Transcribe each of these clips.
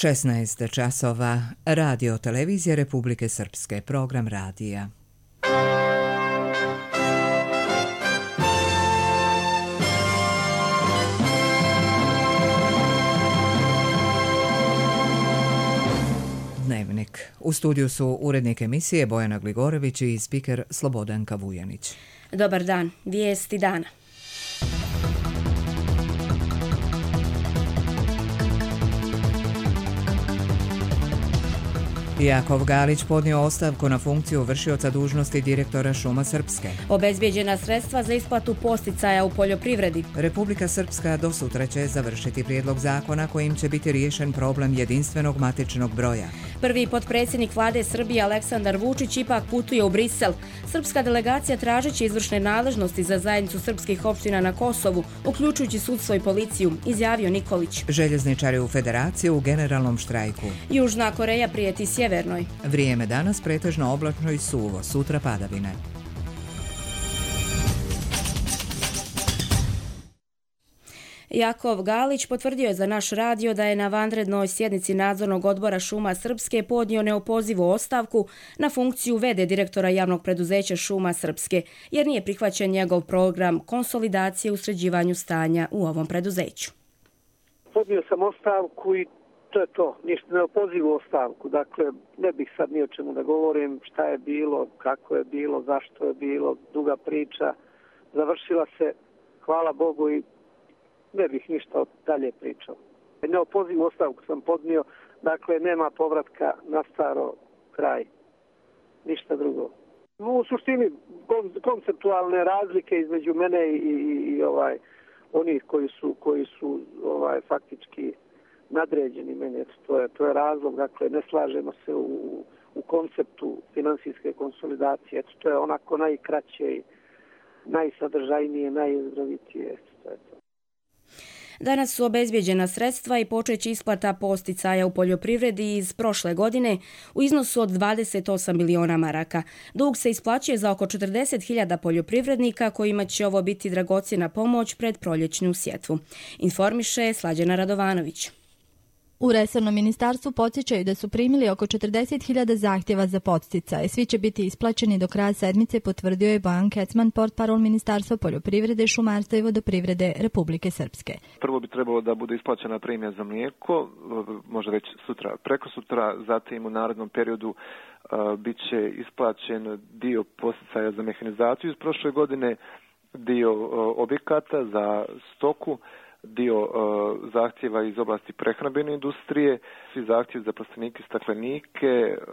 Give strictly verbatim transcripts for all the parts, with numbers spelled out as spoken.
šesnaest časova, Radio televizija Republike Srpske, program radija. Dnevnik. U studiju su urednik emisije Bojana Gligorević i spiker Slobodanka Vujanić. Dobar dan, vijesti dana. Jakov Galić podnio ostavku na funkciju vršioca dužnosti direktora Šuma Srpske. Obezbijeđena sredstva za isplatu posticaja u poljoprivredi. Republika Srpska do sutra će završiti prijedlog zakona kojim će biti riješen problem jedinstvenog matičnog broja. Prvi potpredsjednik vlade Srbije Aleksandar Vučić ipak putuje u Brisel. Srpska delegacija tražeći izvršne nadležnosti za zajednicu srpskih opština na Kosovu, uključujući sudstvo i policiju, izjavio Nikolić. Željezničari u Federaciji u generalnom štrajku. Južna Koreja prijeti sjevernoj. Vrijeme danas pretežno oblačno i suvo, sutra padavine. Jakov Galić potvrdio je za naš radio da je na vanrednoj sjednici nadzornog odbora Šuma Srpske podnio neopozivu ostavku na funkciju v d direktora javnog preduzeća Šuma Srpske, jer nije prihvaćen njegov program konsolidacije u sređivanju stanja u ovom preduzeću. Podnio sam ostavku i to je to, ništa neopozivu ostavku. Dakle, ne bih sad ni o čemu da govorim, šta je bilo, kako je bilo, zašto je bilo, duga priča. Završila se, hvala Bogu, i ne bih ništa dalje pričao. Neopozivu ostavku sam podnio, dakle nema povratka na staro, kraj. Ništa drugo. U suštini konceptualne razlike između mene i, i, i ovaj onih koji su koji su ovaj faktički nadređeni meni, to je to je razlog, dakle ne slažemo se u u konceptu finansijske konsolidacije, to je onako najkraće i najsadržajnije, najizravitije, to je to. Danas su obezbijeđena sredstva i počeće isplata posticaja u poljoprivredi iz prošle godine u iznosu od dvadeset osam miliona maraka. Dug se isplaćuje za oko četrdeset hiljada poljoprivrednika kojima će ovo biti dragocjena pomoć pred proljećnu sjetvu. Informiše Slađana Radovanović. U resornom ministarstvu podsjećaju da su primili oko četrdeset hiljada zahtjeva za podsticaje. Svi će biti isplaćeni do kraja sedmice, potvrdio je Bojan Kecman, portparol Ministarstva poljoprivrede, šumarstva i vodoprivrede Republike Srpske. Prvo bi trebalo da bude isplaćena premija za mlijeko, možda već sutra, preko sutra, zatim u narednom periodu uh, bit će isplaćen dio podsticaja za mehanizaciju iz prošle godine, dio uh, objekata za stoku, dio uh, zahtjeva iz oblasti prehrambene industrije, svi zahtjevi za plastenike, staklenike, uh,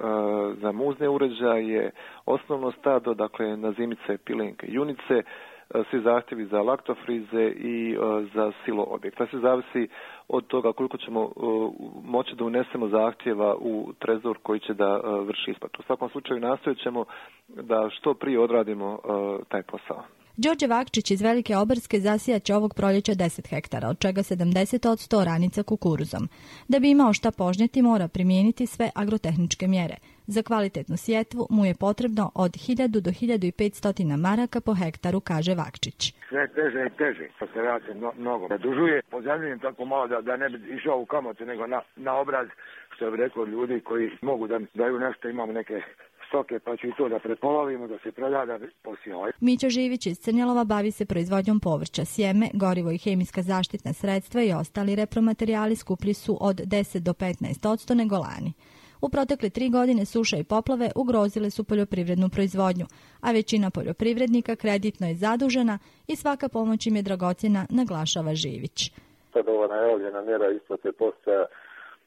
za muzne uređaje, osnovno stado, dakle nazimice, pilenke, junice, uh, svi zahtjevi za laktofrize i uh, za silo objekta. Sve zavisi od toga koliko ćemo uh, moći da unesemo zahtjeva u trezor koji će da uh, vrši isplatu. U svakom slučaju nastojat ćemo da što prije odradimo uh, taj posao. Đorđe Vakčić iz Velike Obrske zasijat će ovog proljeća deset hektara, od čega sedamdeset posto oranica kukuruzom. Da bi imao šta požnjeti, mora primijeniti sve agrotehničke mjere. Za kvalitetnu sjetvu mu je potrebno od hiljadu do hiljadu petsto maraka po hektaru, kaže Vakčić. Sve teže i teže, to se radi no, mnogo. Zadužuje, pozemljujem tako malo da, da ne bi išao u kamate, nego na, na obraz, što bi rekao ljudi koji mogu da daju nešto, imamo neke stoke, pa ću i to da prepolovimo, da se proda, da posijao. Mićo Živić iz Crnjelova bavi se proizvodnjom povrća, sjeme, gorivo i hemijska zaštitna sredstva i ostali repromaterijali skuplji su od deset do petnaest posto nego lani. U protekle tri godine suša i poplave ugrozile su poljoprivrednu proizvodnju, a većina poljoprivrednika kreditno je zadužena i svaka pomoć im je dragocjena, naglašava Živić. Sad ova najavljena mjera isplate podsticaja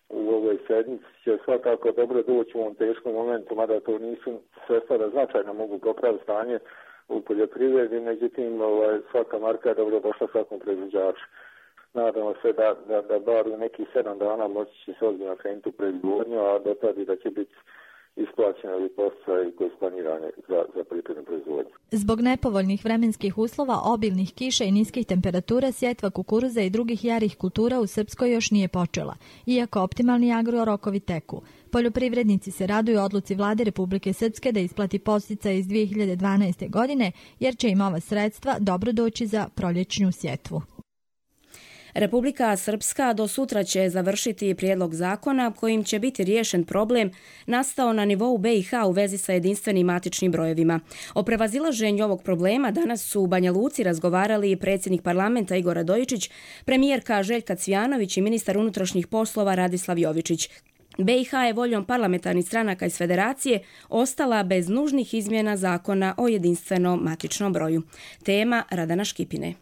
u ovoj sedmici će svakako dobro doći u ovom teškom momentu, mada to nisu sredstva da značajno mogu popraviti stanje u poljoprivredi, međutim ovaj, svaka marka je dobro došla svakom proizvođaču. Nadamo se da, da, da bar u nekih sedam dana moći će se ozbiljno krenuti u proizvodnju, a do tada da će biti isplaćene ili podsticaji koji su planirane za, za poljoprivrednu proizvodnju. Zbog nepovoljnih vremenskih uslova, obilnih kiša i niskih temperatura, sjetva kukuruza i drugih jarih kultura u Srpskoj još nije počela, iako optimalni agrorokovi teku. Poljoprivrednici se raduju odluci vlade Republike Srpske da isplati podsticaje iz dvije hiljade dvanaeste. godine, jer će im ova sredstva dobro doći za proljećnu sjetvu. Republika Srpska do sutra će završiti prijedlog zakona kojim će biti riješen problem nastao na nivou B i H u vezi sa jedinstvenim matičnim brojevima. O prevazilaženju ovog problema danas su u Banja Luci razgovarali predsjednik parlamenta Igor Radojičić, premijerka Željka Cvijanović i ministar unutrašnjih poslova Radislav Jovičić. B i H je voljom parlamentarnih stranaka iz Federacije ostala bez nužnih izmjena zakona o jedinstvenom matičnom broju. Tema Radana Škipine.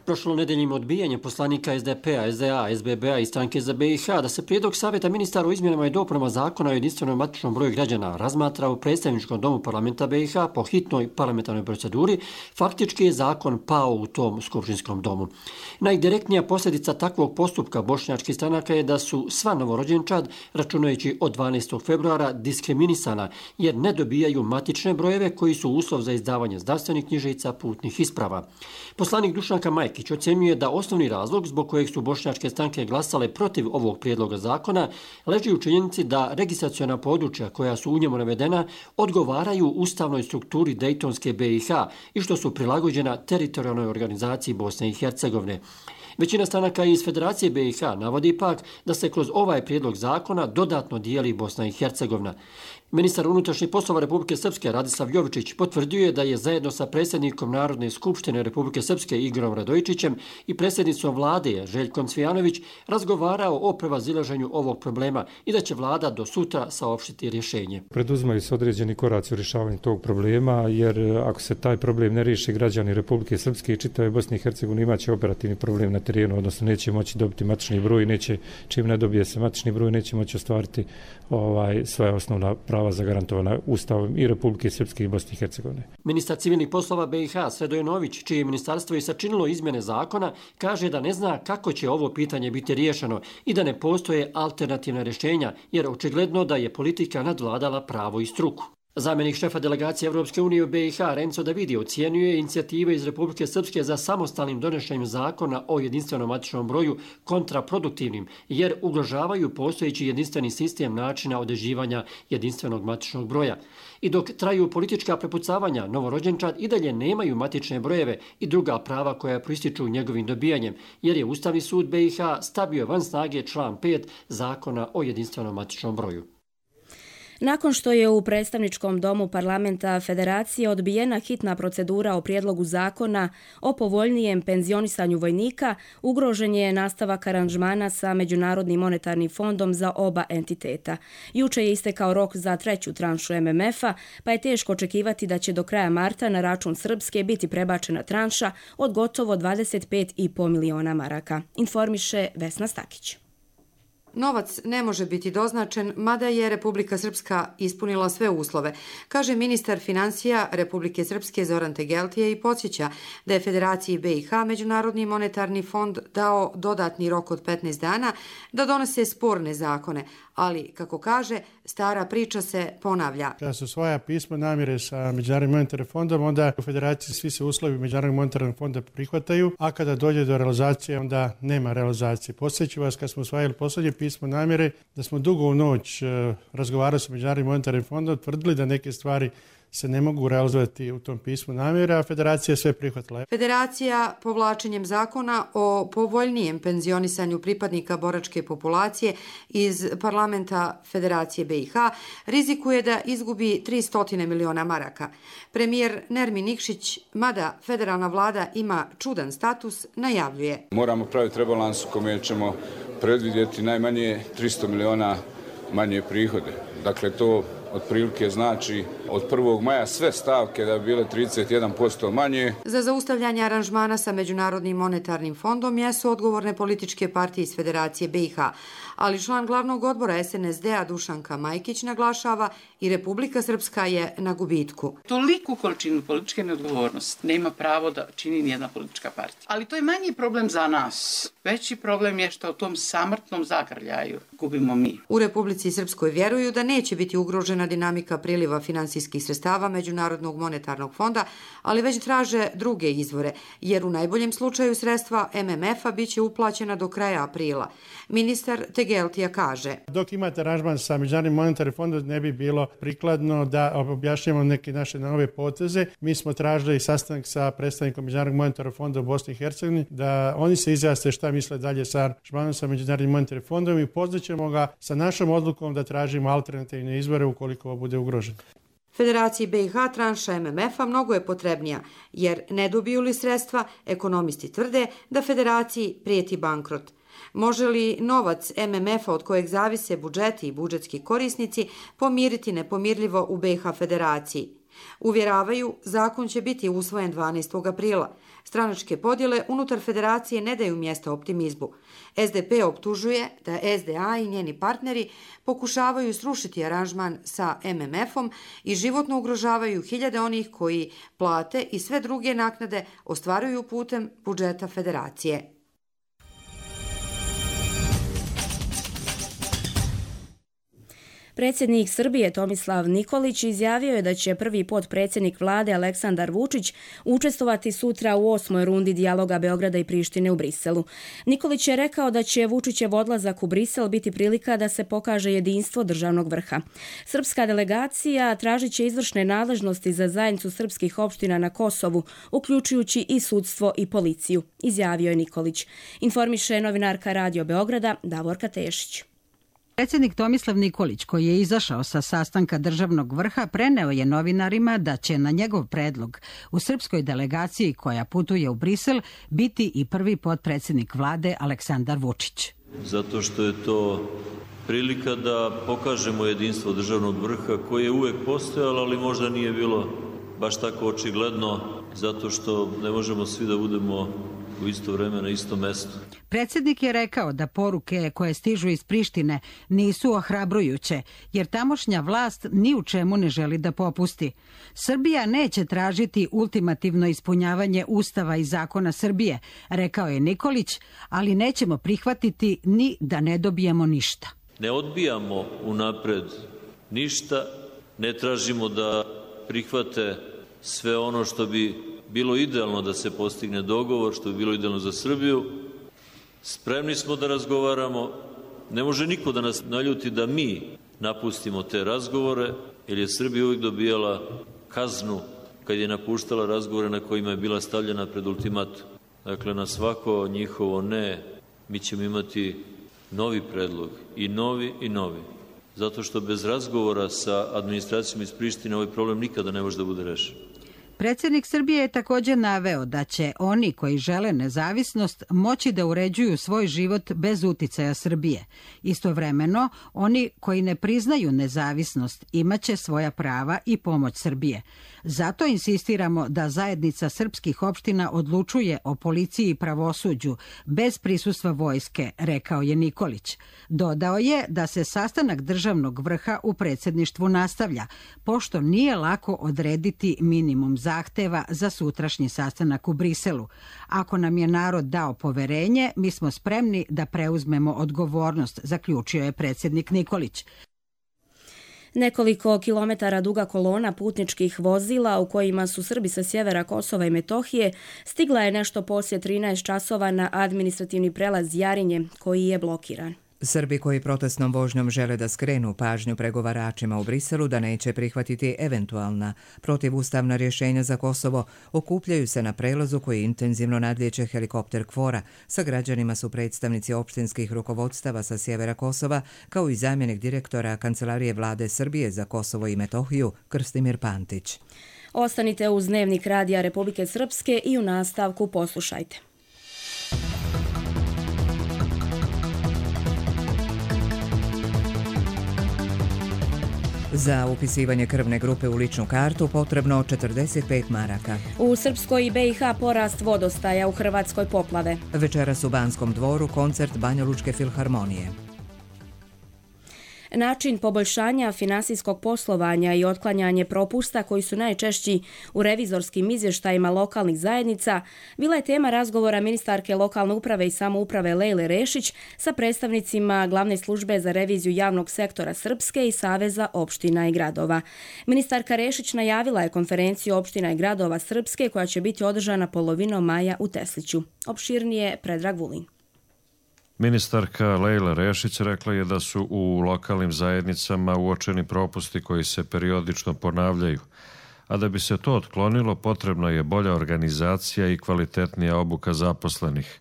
Prošlonedeljnim odbijanjem poslanika S D P-a, S D A, S B B-a i stranke za B i H da se prijedlog savjeta ministara o izmjenama i dopunama zakona o jedinstvenom matičnom broju građana razmatra u predstavničkom domu parlamenta B i H po hitnoj parlamentarnoj proceduri, faktički je zakon pao u tom skupštinskom domu. Najdirektnija posljedica takvog postupka bošnjačkih stranaka je da su sva novorođenčad, računajući od dvanaestog februara, diskriminisana jer ne dobijaju matične brojeve koji su uslov za izdavanje zdravstvenih knjižica, putnih isprava. Poslanik Dušanka Majkić ocjenjuje da osnovni razlog zbog kojeg su bošnjačke stranke glasale protiv ovog prijedloga zakona leži u činjenici da registraciona područja koja su u njemu navedena odgovaraju ustavnoj strukturi Dejtonske B i H i što su prilagođena teritorijalnoj organizaciji Bosne i Hercegovine. Većina stranaka iz Federacije B i H navodi pak da se kroz ovaj prijedlog zakona dodatno dijeli Bosna i Hercegovina. Ministar unutrašnjih poslova Republike Srpske Radislav Jovičić potvrdio je da je zajedno sa predsjednikom Narodne skupštine Republike Srpske Igorom Radojičićem i predsjednicom vlade Željkom Cvijanović razgovarao o prevazilaženju ovog problema i da će vlada do sutra saopštiti rješenje. Preduzimaju se određeni koraci u rješavanju tog problema, jer ako se taj problem ne riješi, građani Republike Srpske i čitave Bosne i Hercegovine imaće operativni problem na terenu, odnosno neće moći dobiti matični broj, neće, čim ne dobije se matični broj, neće moći ostvariti ovaj, svoja osnovna prava zagarantovana Ustavom i Republike Srpske i Bosne i Hercegovine. Ministar civilnih poslova B i H Sredojenović, čije ministarstvo je sačinilo izmjene zakona, kaže da ne zna kako će ovo pitanje biti riješeno i da ne postoje alternativna rješenja, jer očigledno da je politika nadvladala pravo i struku. Zamjenik šefa delegacije Evropske unije u B i H Renzo Davidi ocjenjuje inicijative iz Republike Srpske za samostalnim donošenjem zakona o jedinstvenom matičnom broju kontraproduktivnim, jer ugrožavaju postojeći jedinstveni sistem načina određivanja jedinstvenog matičnog broja. I dok traju politička prepucavanja, novorođenčad i dalje nemaju matične brojeve i druga prava koja proističu njegovim dobijanjem, jer je Ustavni sud B i H stavio van snage član pet zakona o jedinstvenom matičnom broju. Nakon što je u predstavničkom domu parlamenta Federacije odbijena hitna procedura o prijedlogu zakona o povoljnijem penzionisanju vojnika, ugrožen je nastavak aranžmana sa Međunarodnim monetarnim fondom za oba entiteta. Juče je istekao rok za treću tranšu M M F-a, pa je teško očekivati da će do kraja marta na račun Srpske biti prebačena tranša od gotovo dvadeset pet i po miliona maraka, informiše Vesna Stakić. Novac ne može biti doznačen, mada je Republika Srpska ispunila sve uslove, kaže ministar financija Republike Srpske Zoran Tegeltije i podsjeća da je Federaciji B i H Međunarodni monetarni fond dao dodatni rok od petnaest dana da donose sporne zakone, ali, kako kaže, stara priča se ponavlja. Kada se usvaja pismo namjere sa Međunarodnim monetarnim fondom, onda u Federaciji svi se uslovi Međunarodnog monetarnog fonda prihvataju, a kada dođe do realizacije, onda nema realizacije. Podsjećam vas, kad smo usvajali posljednje pismo namjere, da smo dugo u noć razgovarali sa Međunarodnim monetarnim fondom, tvrdili da neke stvari se ne mogu realizovati u tom pismu namjere, a Federacija je sve prihvatila. Federacija povlačenjem zakona o povoljnijem penzionisanju pripadnika boračke populacije iz parlamenta Federacije B i H rizikuje da izgubi tristo miliona maraka. Premijer Nermin Nikšić, mada federalna vlada ima čudan status, najavljuje. Moramo praviti rebalans u kome ćemo predvidjeti najmanje tristo miliona manje prihode. Dakle, to otprilike znači od prvog maja sve stavke da bi bile trideset jedan posto manje. Za zaustavljanje aranžmana sa Međunarodnim monetarnim fondom jesu odgovorne političke partije iz Federacije B i H, ali član glavnog odbora S N S D-a Dušanka Majkić naglašava i Republika Srpska je na gubitku. Toliku količinu političke neodgovornosti nema pravo da čini nijedna politička partija. Ali to je manji problem za nas. Veći problem je što u tom samrtnom zagrljaju gubimo mi. U Republici Srpskoj vjeruju da neće biti ugrožena pozitivna dinamika priliva finansijskih sredstava Međunarodnog monetarnog fonda, ali već traže druge izvore, jer u najboljem slučaju sredstva M M F-a biće uplaćena do kraja aprila. Ministar Tegeltija kaže: Dok imate aranžman sa Međunarodnim monetarnim fondom, ne bi bilo prikladno da objašnjamo neke naše nove poteze. Mi smo tražili sastanak sa predstavnikom Međunarodnog monetarnog fonda u Bosni i Hercegovini, da oni se izjasne šta misle dalje sa aranžmanom sa Međunarodnim monetarnim fondom i pozvaćemo ga sa našom odlukom da tražimo alternativne izvore ukoliko ovo bude ugroženo. Federaciji B i H tranša M M F-a mnogo je potrebnija, jer ne dobiju li sredstva, ekonomisti tvrde da federaciji prijeti bankrot. Može li novac M M F-a od kojeg zavise budžeti i budžetski korisnici pomiriti nepomirljivo u B i H federaciji? Uvjeravaju, zakon će biti usvojen dvanaestog aprila. Stranačke podjele unutar federacije ne daju mjesta optimizmu. S D P optužuje da S D A i njeni partneri pokušavaju srušiti aranžman sa M M F-om i životno ugrožavaju hiljade onih koji plate i sve druge naknade ostvaruju putem budžeta federacije. Predsjednik Srbije Tomislav Nikolić izjavio je da će prvi potpredsjednik vlade Aleksandar Vučić učestvovati sutra u osmoj rundi dijaloga Beograda i Prištine u Briselu. Nikolić je rekao da će Vučićev odlazak u Brisel biti prilika da se pokaže jedinstvo državnog vrha. Srpska delegacija tražit će izvršne nadležnosti za zajednicu srpskih opština na Kosovu, uključujući i sudstvo i policiju, izjavio je Nikolić. Informiše novinarka Radio Beograda Davorka Tešić. Predsjednik Tomislav Nikolić, koji je izašao sa sastanka državnog vrha, preneo je novinarima da će na njegov predlog u srpskoj delegaciji koja putuje u Brisel biti i prvi potpredsjednik vlade Aleksandar Vučić. Zato što je to prilika da pokažemo jedinstvo državnog vrha koje je uvek postojalo, ali možda nije bilo baš tako očigledno, zato što ne možemo svi da budemo u isto vreme na istom mestu. Predsjednik je rekao da poruke koje stižu iz Prištine nisu ohrabrujuće, jer tamošnja vlast ni u čemu ne želi da popusti. Srbija neće tražiti ultimativno ispunjavanje Ustava i zakona Srbije, rekao je Nikolić, ali nećemo prihvatiti ni da ne dobijemo ništa. Ne odbijamo unapred ništa, ne tražimo da prihvate sve ono što bi bilo idealno da se postigne dogovor, što bi bilo idealno za Srbiju. Spremni smo da razgovaramo. Ne može niko da nas naljuti da mi napustimo te razgovore, jer je Srbija uvijek dobijala kaznu kad je napuštala razgovore na kojima je bila stavljena pred ultimatum. Dakle, na svako njihovo ne, mi ćemo imati novi predlog, i novi i novi. Zato što bez razgovora sa administracijom iz Prištine ovaj problem nikada ne može da bude rešen. Predsjednik Srbije je također naveo da će oni koji žele nezavisnost moći da uređuju svoj život bez uticaja Srbije. Istovremeno, oni koji ne priznaju nezavisnost imaće svoja prava i pomoć Srbije. Zato insistiramo da zajednica srpskih opština odlučuje o policiji i pravosuđu bez prisustva vojske, rekao je Nikolić. Dodao je da se sastanak državnog vrha u predsjedništvu nastavlja, pošto nije lako odrediti minimum zahteva za sutrašnji sastanak u Briselu. Ako nam je narod dao poverenje, mi smo spremni da preuzmemo odgovornost, zaključio je predsjednik Nikolić. Nekoliko kilometara duga kolona putničkih vozila u kojima su Srbi sa sjevera Kosova i Metohije stigla je nešto poslije trinaest časova na administrativni prelaz Jarinje, koji je blokiran. Srbi koji protestnom vožnjom žele da skrenu pažnju pregovaračima u Briselu da neće prihvatiti eventualna protivustavna rješenja za Kosovo, okupljaju se na prelazu koji intenzivno nadlijeće helikopter KFOR-a. Sa građanima su predstavnici opštinskih rukovodstava sa sjevera Kosova, kao i zamjenik direktora Kancelarije vlade Srbije za Kosovo i Metohiju Krstimir Pantić. Ostanite uz Dnevnik Radija Republike Srpske i u nastavku poslušajte. Za upisivanje krvne grupe u ličnu kartu potrebno četrdeset pet maraka. U Srpskoj i B i H porast vodostaja, u Hrvatskoj poplave. Večeras u Banskom dvoru koncert Banjalučke filharmonije. Način poboljšanja finansijskog poslovanja i otklanjanje propusta koji su najčešći u revizorskim izvještajima lokalnih zajednica bila je tema razgovora ministarke lokalne uprave i samouprave Lejle Rešić sa predstavnicima Glavne službe za reviziju javnog sektora Srpske i Saveza opština i gradova. Ministarka Rešić najavila je konferenciju opština i gradova Srpske koja će biti održana polovinom maja u Tesliću. Opširnije Predrag Vulin. Ministarka Lejla Rešić rekla je da su u lokalnim zajednicama uočeni propusti koji se periodično ponavljaju, a da bi se to otklonilo potrebna je bolja organizacija i kvalitetnija obuka zaposlenih,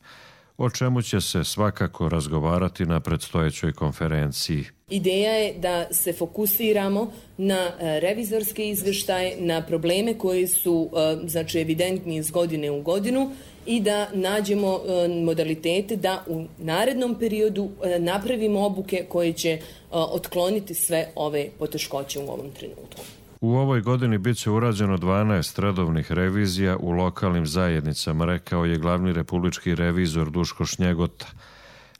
o čemu će se svakako razgovarati na predstojećoj konferenciji. Ideja je da se fokusiramo na revizorske izvještaje, na probleme koji su znači, evidentni iz godine u godinu i da nađemo modalitete da u narednom periodu napravimo obuke koje će otkloniti sve ove poteškoće u ovom trenutku. U ovoj godini bit će urađeno dvanaest redovnih revizija u lokalnim zajednicama, rekao je glavni republički revizor Duško Šnjegota.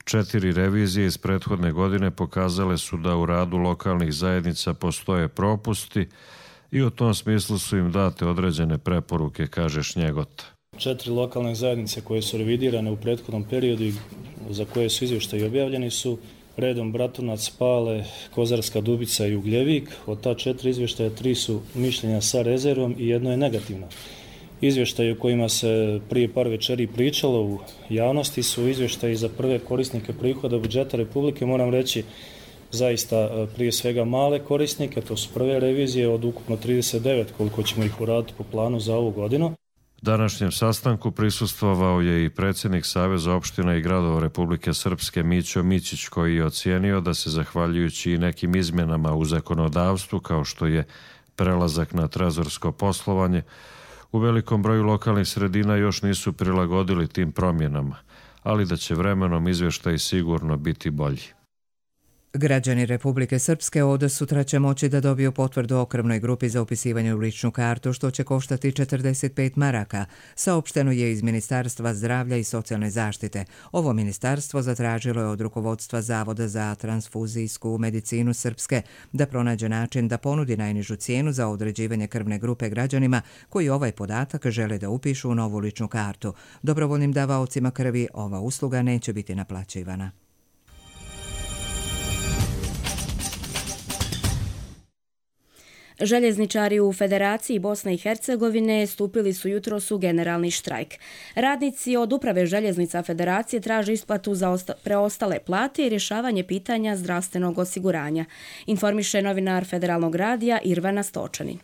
Četiri revizije iz prethodne godine pokazale su da u radu lokalnih zajednica postoje propusti i u tom smislu su im date određene preporuke, kaže Šnjegota. Četiri lokalne zajednice koje su revidirane u prethodnom periodu i za koje su izvještaji objavljeni su redom Bratunac, Pale, Kozarska Dubica i Ugljevik. Od ta četiri izvještaja tri su mišljenja sa rezervom i jedno je negativno. Izvještaji o kojima se prije par večeri pričalo u javnosti su izvještaji za prve korisnike prihoda budžeta Republike. Moram reći zaista prije svega male korisnike, to su prve revizije od ukupno trideset devet koliko ćemo ih uraditi po planu za ovu godinu. Današnjem sastanku prisustvovao je i predsjednik Saveza opština i gradova Republike Srpske Mićo Mićić, koji je ocijenio da se zahvaljujući i nekim izmjenama u zakonodavstvu kao što je prelazak na trezorsko poslovanje, u velikom broju lokalnih sredina još nisu prilagodili tim promjenama, ali da će vremenom izvještaj sigurno biti bolji. Građani Republike Srpske od sutra će moći da dobiju potvrdu o krvnoj grupi za upisivanje u ličnu kartu, što će koštati četrdeset pet maraka. Saopšteno je iz Ministarstva zdravlja i socijalne zaštite. Ovo ministarstvo zatražilo je od rukovodstva Zavoda za transfuzijsku medicinu Srpske da pronađe način da ponudi najnižu cijenu za određivanje krvne grupe građanima koji ovaj podatak žele da upišu u novu ličnu kartu. Dobrovoljnim davaocima krvi ova usluga neće biti naplaćivana. Željezničari u Federaciji Bosne i Hercegovine stupili su jutros u generalni štrajk. Radnici od Uprave željeznica Federacije traže isplatu za preostale plate i rješavanje pitanja zdravstvenog osiguranja, informiše novinar Federalnog radija Irvana Stočanin.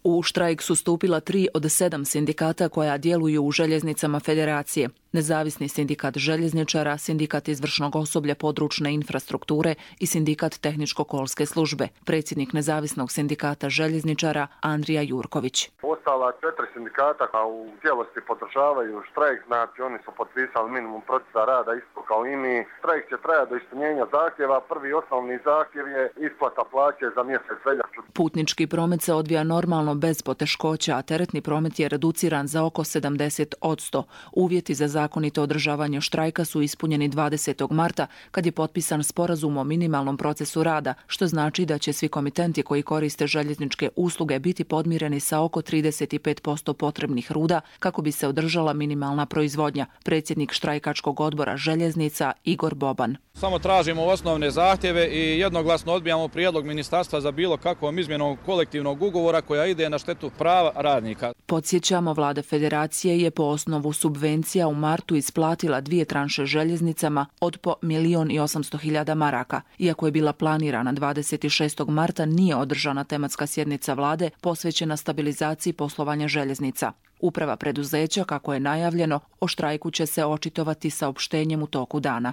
U štrajk su stupila tri od sedam sindikata koja djeluju u željeznicama Federacije. Nezavisni sindikat željezničara, sindikat izvršnog osoblja područne infrastrukture i sindikat tehničko-kolske službe. Predsjednik nezavisnog sindikata željezničara Andrija Jurković. Ostala četiri sindikata u cijelosti podržavaju štrajk, znači oni su potpisali minimum procesa rada isto kao i mi. Štrajk će trajati do ispunjenja zahtjeva. Prvi osnovni zahtjev je isplata plaće za mjesec veljaču. Putnički promet se odvija normalno bez poteškoća, a teretni promet je reduciran za oko sedamdeset posto. Uvjeti za zakonito održavanje štrajka su ispunjeni dvadesetog marta kad je potpisan sporazum o minimalnom procesu rada, što znači da će svi komitenti koji koriste željezničke usluge biti podmireni sa oko trideset pet posto potrebnih ruda kako bi se održala minimalna proizvodnja. Predsjednik štrajkačkog odbora željeznica Igor Boban. Samo tražimo osnovne zahtjeve i jednoglasno odbijamo prijedlog ministarstva za bilo kakvom izmjenom kolektivnog ugovora koja ide na štetu prava radnika. Podsjećamo, vlada Federacije je po osnovu subvencija u martu isplatila dvije tranše željeznicama od po milion i osamsto hiljada maraka. Iako je bila planirana dvadeset šestog marta, nije održana tematska sjednica vlade posvećena stabilizaciji poslovanja željeznica. Uprava preduzeća, kako je najavljeno, o štrajku će se očitovati saopštenjem u toku dana.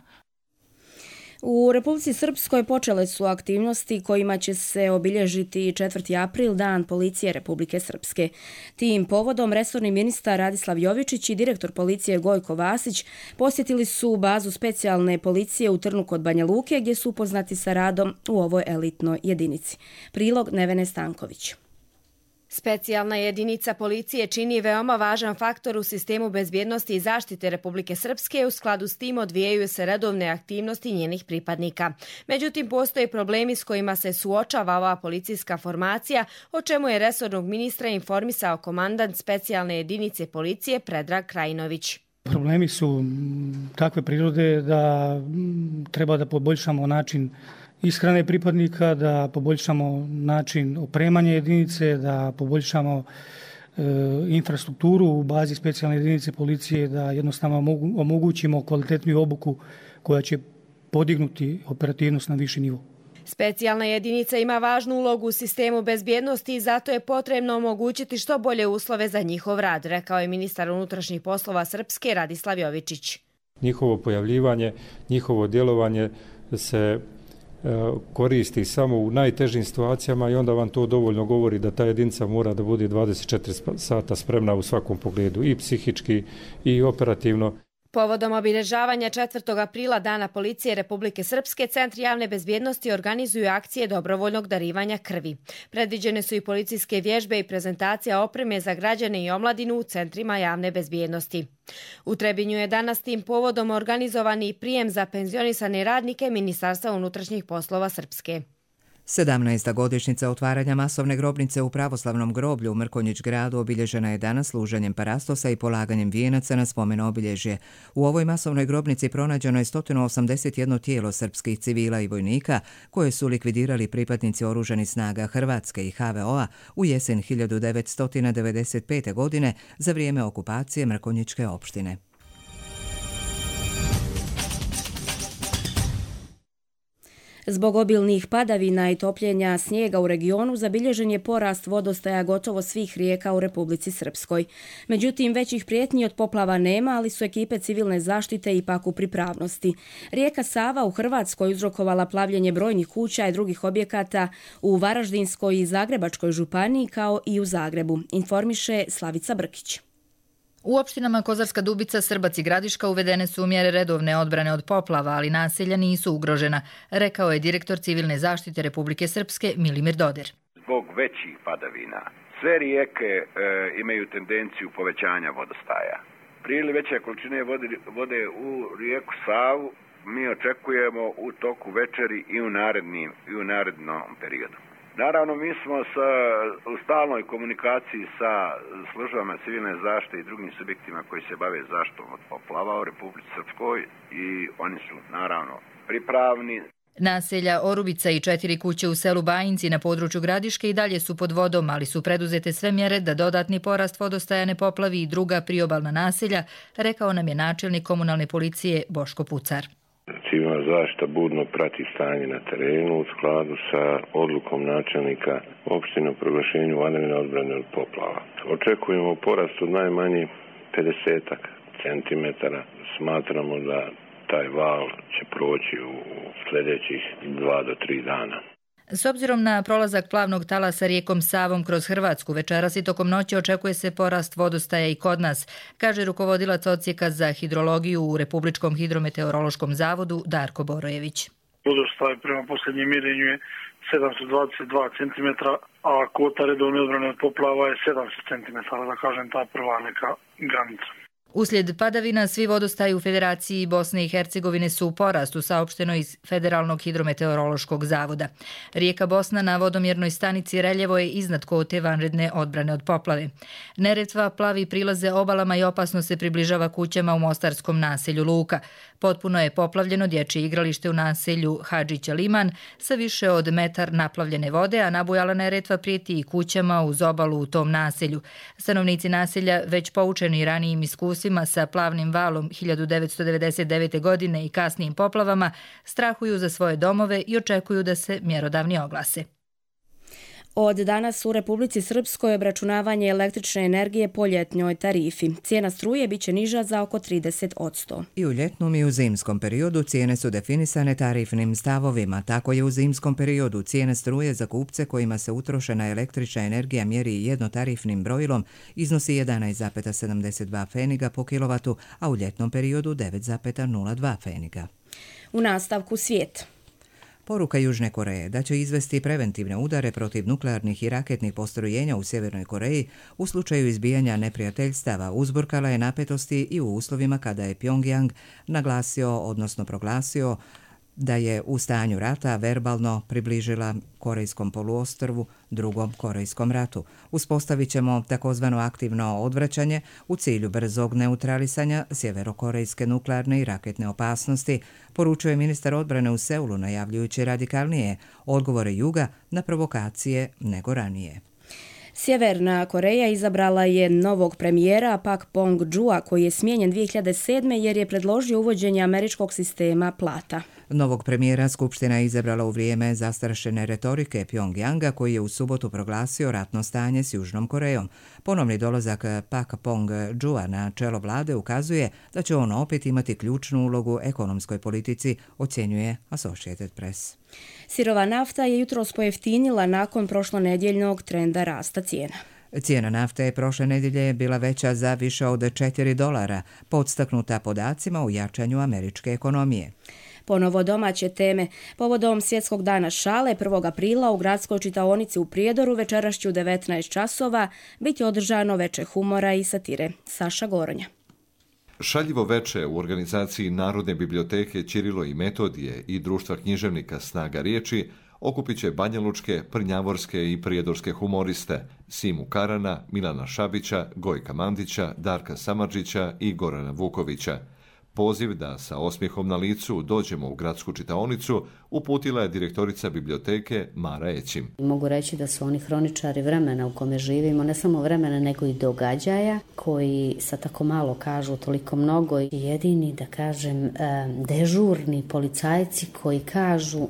U Republici Srpskoj počele su aktivnosti kojima će se obilježiti četvrti april, Dan policije Republike Srpske. Tim povodom resorni ministar Radislav Jovičić i direktor policije Gojko Vasić posjetili su bazu specijalne policije u Trnu kod Banja Luke, gdje su upoznati sa radom u ovoj elitnoj jedinici. Prilog Nevene Stanković. Specijalna jedinica policije čini veoma važan faktor u sistemu bezbjednosti i zaštite Republike Srpske. U skladu s tim odvijaju se redovne aktivnosti njenih pripadnika. Međutim, postoje problemi s kojima se suočava ova policijska formacija, o čemu je resornog ministra informisao komandant specijalne jedinice policije Predrag Krajinović. Problemi su takve prirode da treba da poboljšamo način ishrane pripadnika, da poboljšamo način opremanja jedinice, da poboljšamo e, infrastrukturu u bazi specijalne jedinice policije, da jednostavno omogućimo kvalitetniju obuku koja će podignuti operativnost na viši nivo. Specijalna jedinica ima važnu ulogu u sistemu bezbjednosti i zato je potrebno omogućiti što bolje uslove za njihov rad, rekao je ministar unutrašnjih poslova Srpske Radislav Jovičić. Njihovo pojavljivanje, njihovo djelovanje se koristi samo u najtežim situacijama i onda vam to dovoljno govori da ta jedinica mora da bude dvadeset četiri sata spremna u svakom pogledu, i psihički i operativno. Povodom obilježavanja četvrtog aprila Dana policije Republike Srpske, centri javne bezbjednosti organizuju akcije dobrovoljnog darivanja krvi. Predviđene su i policijske vježbe i prezentacija opreme za građane i omladinu u centrima javne bezbjednosti. U Trebinju je danas tim povodom organizovani prijem za penzionisane radnike Ministarstva unutrašnjih poslova Srpske. sedamnaesta godišnjica otvaranja masovne grobnice u pravoslavnom groblju u Mrkonjić gradu obilježena je danas služenjem parastosa i polaganjem vijenaca na spomen obilježje. U ovoj masovnoj grobnici pronađeno je sto osamdeset jedno tijelo srpskih civila i vojnika koje su likvidirali pripadnici oružanih snaga Hrvatske i ha ve o a u jesen hiljadu devetsto devedeset pete. godine za vrijeme okupacije Mrkonjićke opštine. Zbog obilnih padavina i topljenja snijega u regionu zabilježen je porast vodostaja gotovo svih rijeka u Republici Srpskoj. Međutim, većih prijetnji od poplava nema, ali su ekipe civilne zaštite ipak u pripravnosti. Rijeka Sava u Hrvatskoj uzrokovala plavljenje brojnih kuća i drugih objekata u Varaždinskoj i Zagrebačkoj županiji kao i u Zagrebu, informiše Slavica Brkić. U opštinama Kozarska Dubica, Srbac i Gradiška uvedene su mjere redovne odbrane od poplava, ali naselja nisu ugrožena, rekao je direktor civilne zaštite Republike Srpske Milimir Dodir. Zbog većih padavina sve rijeke e, imaju tendenciju povećanja vodostaja. Prije ili veće količine vode, vode u rijeku Savu mi očekujemo u toku večeri i u, narednim, i u narednom periodu. Naravno, mi smo sa, u stalnoj komunikaciji sa službama civilne zaštite i drugim subjektima koji se bave zaštitom od poplava u Republici Srpskoj i oni su naravno pripravni. Naselja Orubica i četiri kuće u selu Bajinci na području Gradiške i dalje su pod vodom, ali su preduzete sve mjere da dodatni porast vodostaja ne poplavi i druga priobalna naselja, rekao nam je načelnik komunalne policije Boško Pucar. Civilna zaštita budno prati stanje na terenu u skladu sa odlukom načelnika opštine o proglašenju vanredne odbrane od poplava. Očekujemo porast od najmanje pedeset centimetara. Smatramo da taj val će proći u sljedećih dva do tri dana. S obzirom na prolazak plavnog talasa rijekom Savom kroz Hrvatsku, večeras i tokom noći očekuje se porast vodostaja i kod nas, kaže rukovodilac odsjeka za hidrologiju u Republičkom hidrometeorološkom zavodu Darko Borojević. Vodostaj prema posljednjem mjerenju je sedamsto dvadeset dva centimetra, a kvota redovne odbrane od poplava je sedamsto centimetara, da kažem ta prva neka granica. Uslijed padavina svi vodostaji u Federaciji Bosne i Hercegovine su u porastu, saopšteno iz Federalnog hidrometeorološkog zavoda. Rijeka Bosna na vodomjernoj stanici Reljevo je iznad kvote vanredne odbrane od poplave. Neretva plavi prilaze obalama i opasno se približava kućama u mostarskom naselju Luka. Potpuno je poplavljeno dječje igralište u naselju Hadžića Liman sa više od metar naplavljene vode, a nabujala neretva prijeti i kućama uz obalu u tom naselju. Stanovnici naselja, već poučeni ranijim iskustvima sa plavnim valom hiljadu devetsto devedeset devete. godine i kasnijim poplavama, strahuju za svoje domove i očekuju da se mjerodavni oglase. Od danas u Republici Srpskoj obračunavanje električne energije po ljetnjoj tarifi. Cijena struje biće niža za oko trideset posto. I u ljetnom i u zimskom periodu cijene su definisane tarifnim stavovima. Tako je u zimskom periodu cijena struje za kupce kojima se utrošena električna energija mjeri jednotarifnim brojilom iznosi jedanaest zarez sedamdeset dva pfeniga po kilovatu, a u ljetnom periodu devet zarez nula dva pfeniga. U nastavku svijet. Poruka Južne Koreje da će izvesti preventivne udare protiv nuklearnih i raketnih postrojenja u Sjevernoj Koreji u slučaju izbijanja neprijateljstava uzburkala je napetosti i u uslovima kada je Pjongjang naglasio, odnosno proglasio, da je u stanju rata verbalno približila Korejskom poluostrvu drugom Korejskom ratu. Uspostavit ćemo takozvano aktivno odvraćanje u cilju brzog neutralisanja sjeverokorejske nuklearne i raketne opasnosti, poručuje ministar odbrane u Seulu, najavljujući radikalnije odgovore Juga na provokacije nego ranije. Sjeverna Koreja izabrala je novog premijera Pak Pong-jua koji je smijenjen dvije hiljade sedme jer je predložio uvođenje američkog sistema plata. Novog premijera Skupština je izabrala u vrijeme zastrašene retorike Pjongjanga koji je u subotu proglasio ratno stanje s Južnom Korejom. Ponovni dolazak Pak Pong-jua na čelo vlade ukazuje da će on opet imati ključnu ulogu u ekonomskoj politici, ocjenjuje Associated Press. Sirova nafta je jutros pojeftinila nakon prošlonedjeljnog trenda rasta cijena. Cijena nafte je prošle nedjelje bila veća za više od četiri dolara, podstaknuta podacima u jačanju američke ekonomije. Ponovo domaće teme. Povodom Svjetskog dana šale prvog aprila u gradskoj čitaonici u Prijedoru večerašću u devetnaest časova biti održano veče humora i satire. Saša Goronja. Šaljivo veče u organizaciji Narodne biblioteke Ćirilo i Metodije i Društva književnika Snaga riječi okupit će banjalučke, prnjavorske i prijedorske humoriste Simu Karana, Milana Šabića, Gojka Mandića, Darka Samardžića i Gorana Vukovića. Poziv da sa osmijehom na licu dođemo u gradsku čitaonicu uputila je direktorica biblioteke Mara Ećim. Mogu reći da su oni hroničari vremena u kome živimo, ne samo vremena nego i događaja koji sa tako malo kažu toliko mnogo i jedini, da kažem, dežurni policajci koji kažu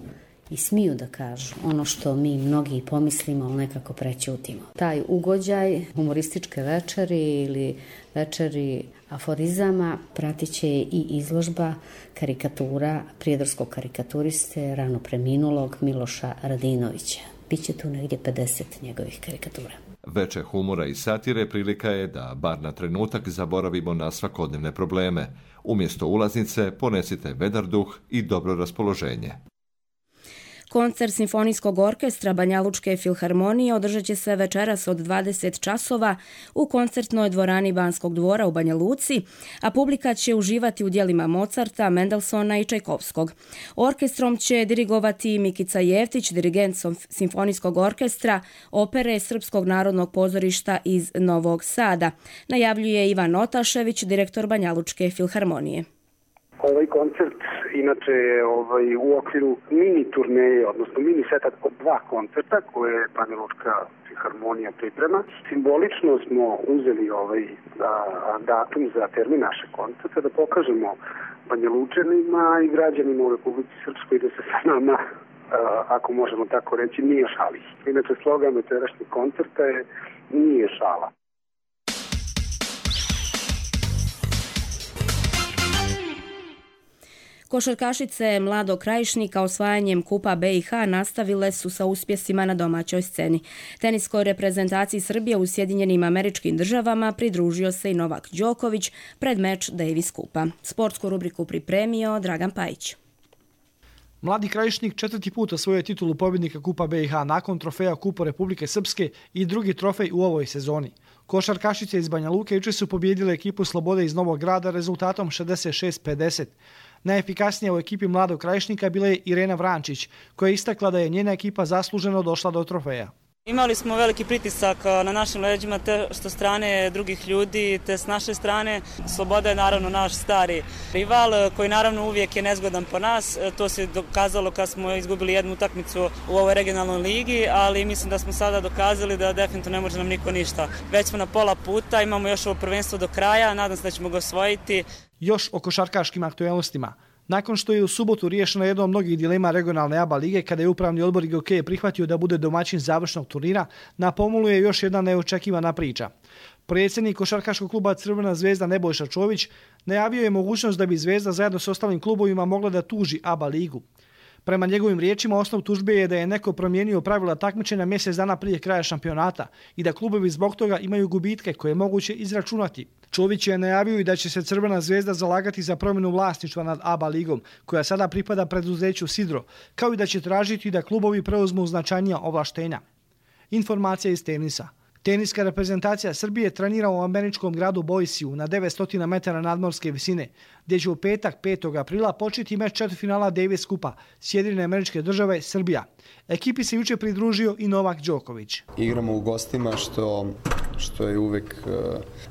i smiju da kažu ono što mi mnogi pomislimo, ali nekako prećutimo. Taj ugođaj humorističke večeri ili večeri aforizama pratit će i izložba karikatura prijedorskog karikaturiste rano preminulog Miloša Radinovića. Biće tu negdje pedeset njegovih karikatura. Veče humora i satire prilika je da bar na trenutak zaboravimo na svakodnevne probleme. Umjesto ulaznice ponesite vedar duh i dobro raspoloženje. Koncert Simfonijskog orkestra Banjalučke filharmonije održat će se večeras od dvadeset časova u koncertnoj dvorani Banskog dvora u Banja Luci, a publika će uživati u djelima Mozarta, Mendelsona i Čajkovskog. Orkestrom će dirigovati Mikica Jeftić, dirigent Simfonijskog orkestra opere Srpskog narodnog pozorišta iz Novog Sada, najavljuje Ivan Otašević, direktor Banjalučke filharmonije. Ovaj koncert inače je ovaj, u okviru mini turneje, odnosno mini seta od dva koncerta koje Banjalučka filharmonija priprema. Simbolično smo uzeli ovaj da, datum za termin našeg koncerta da pokažemo Banjalučanima i građanima u Republici Srpskoj da se sa nama, ako možemo tako reći, nije šali. Inače slogan večerašnjeg koncerta je nije šala. Košarkašice Mladog Krajišnika osvajanjem Kupa B i H nastavile su sa uspjesima na domaćoj sceni. Teniskoj reprezentaciji Srbije u Sjedinjenim Američkim Državama pridružio se i Novak Đoković pred meč Davis Kupa. Sportsku rubriku pripremio Dragan Pajić. Mladi Krajišnik četvrti put osvojio je titulu pobjednika Kupa B i H nakon trofeja Kupa Republike Srpske i drugi trofej u ovoj sezoni. Košarkašice iz Banja Luke jučer su pobijedile ekipu Slobode iz Novog Grada rezultatom šezdeset šest pedeset. Najefikasnija u ekipi Mladog Krajišnika bila je Irena Vrančić, koja je istakla da je njena ekipa zasluženo došla do trofeja. Imali smo veliki pritisak na našim leđima, te što strane drugih ljudi, te s naše strane. Sloboda je naravno naš stari rival, koji naravno uvijek je nezgodan po nas. To se dokazalo kad smo izgubili jednu utakmicu u ovoj regionalnoj ligi, ali mislim da smo sada dokazali da definitivno ne može nam niko ništa. Već smo na pola puta, imamo još ovo prvenstvo do kraja, nadam se da ćemo ga osvojiti. Još o košarkaškim aktuelnostima. Nakon što je u subotu riješeno jedno od mnogih dilema regionalne A B A lige, kada je upravni odbor I G K prihvatio da bude domaćin završnog turnira, na pomolu je još jedna neočekivana priča. Predsjednik košarkaškog kluba Crvena zvezda Nebojša Čović najavio je mogućnost da bi Zvezda zajedno s ostalim klubovima mogla da tuži A B A ligu. Prema njegovim riječima, osnov tužbe je da je neko promijenio pravila takmičenja mjesec dana prije kraja šampionata i da klubovi zbog toga imaju gubitke koje je moguće izračunati. Čović je najavio i da će se Crvena zvezda zalagati za promjenu vlasništva nad A B A ligom, koja sada pripada preduzeću Sidro, kao i da će tražiti da klubovi preuzmu značajnija ovlaštenja. Informacija iz tenisa. Teniska reprezentacija Srbije trenira u američkom gradu Boiseu na devetsto metara nadmorske visine, gdje će u petak petog aprila početi meč četvrtfinala Davis Kupa Sjedinjene Američke Države Srbija. Ekipi se jučer pridružio i Novak Đoković. Igramo u gostima što što je uvek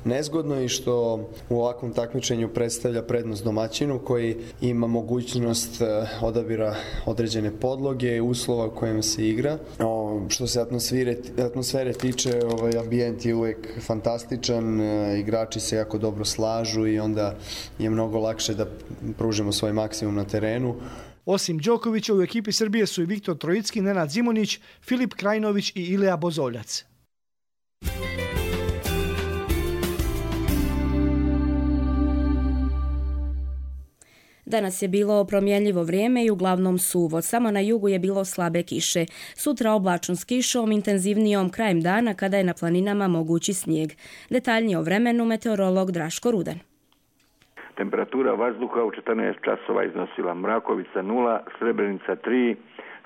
nezgodno i što u ovakvom takmičenju predstavlja prednost domaćinu koji ima mogućnost odabira određene podloge, uslova u kojem se igra. O, što se atmosfere, atmosfere tiče, ovaj ambijent je uvek fantastičan, igrači se jako dobro slažu i onda je mnogo lakše da pružimo svoj maksimum na terenu. Osim Đokovića u ekipi Srbije su i Viktor Trojicki, Nenad Zimonjić, Filip Krajinović i Ilija Bozoljac. Danas je bilo promjenljivo vrijeme i uglavnom suvo. Samo na jugu je bilo slabe kiše. Sutra oblačno s kišom, intenzivnijom krajem dana kada je na planinama mogući snijeg. Detaljnije o vremenu meteorolog Draško Rudan. Temperatura vazduha u četrnaest časova iznosila Mrakovica nula, Srebrenica tri,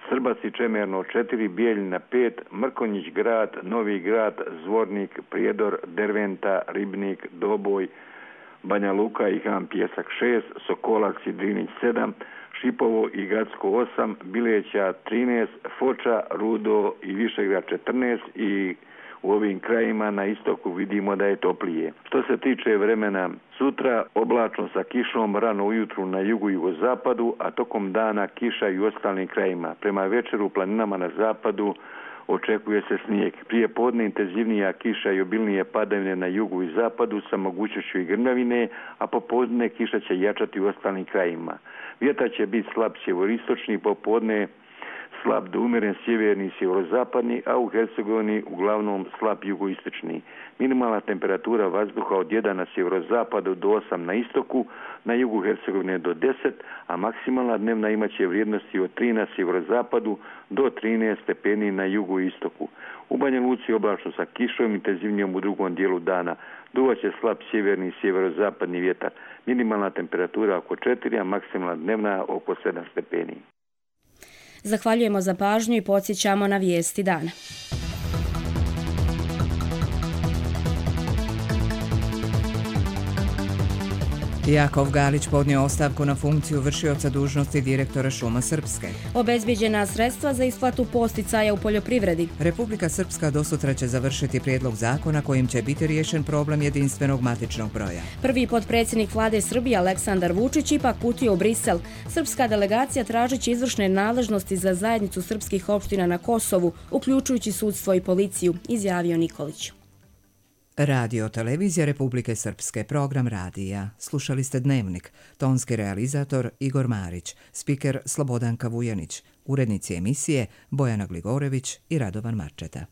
Srbac i Čemerno četiri, Bijeljina pet, Mrkonjić grad, Novi grad, Zvornik, Prijedor, Derventa, Ribnik, Doboj, Banja Luka i Han Pjesak šest, Sokolac i Drinić sedam, Šipovo i Gacko osam, Bileća trinaest, Foča, Rudo i Višegrad četrnaest i u ovim krajima na istoku vidimo da je toplije. Što se tiče vremena, sutra oblačno sa kišom rano ujutru na jugu i jugozapadu, a tokom dana kiša i u ostalim krajima. Prema večeru u planinama na zapadu očekuje se snijeg. Prije podne intenzivnija kiša i obilnije padavine na jugu i zapadu sa mogućnošću i grmavine, a popodne kiša će jačati u ostalim krajima. Vjetar će biti slab sjeveristočni, popodne slab do umjeren sjeverni i sjeverozapadni, a u Hercegovini uglavnom slab jugoistočni. Minimalna temperatura vazduha od jedan na sjeverozapadu do osam na istoku, na jugu Hercegovine do deset, a maksimalna dnevna imaće vrijednosti od tri na sjeverozapadu do trinaest stepeni na jugu i istoku. U Banja Luci oblačno sa kišom, intenzivnijom u drugom dijelu dana. Duvaće slab sjeverni i sjeverozapadni vjetar. Minimalna temperatura oko četiri, a maksimalna dnevna oko sedam stepeni. Zahvaljujemo za pažnju i podsjećamo na vijesti dana. Jakov Galić podnio ostavku na funkciju vršioca dužnosti direktora Šuma Srpske. Obezbijeđena sredstva za isplatu posticaja u poljoprivredi. Republika Srpska dosutra će završiti prijedlog zakona kojim će biti riješen problem jedinstvenog matičnog broja. Prvi potpredsjednik vlade Srbije Aleksandar Vučić ipak putio u Brisel. Srpska delegacija tražići izvršne nadležnosti za zajednicu srpskih opština na Kosovu, uključujući sudstvo i policiju, izjavio Nikolić. Radio Televizija Republike Srpske, program radija. Slušali ste Dnevnik, tonski realizator Igor Marić, spiker Slobodanka Vujanić, urednici emisije Bojana Gligorević i Radovan Marčeta.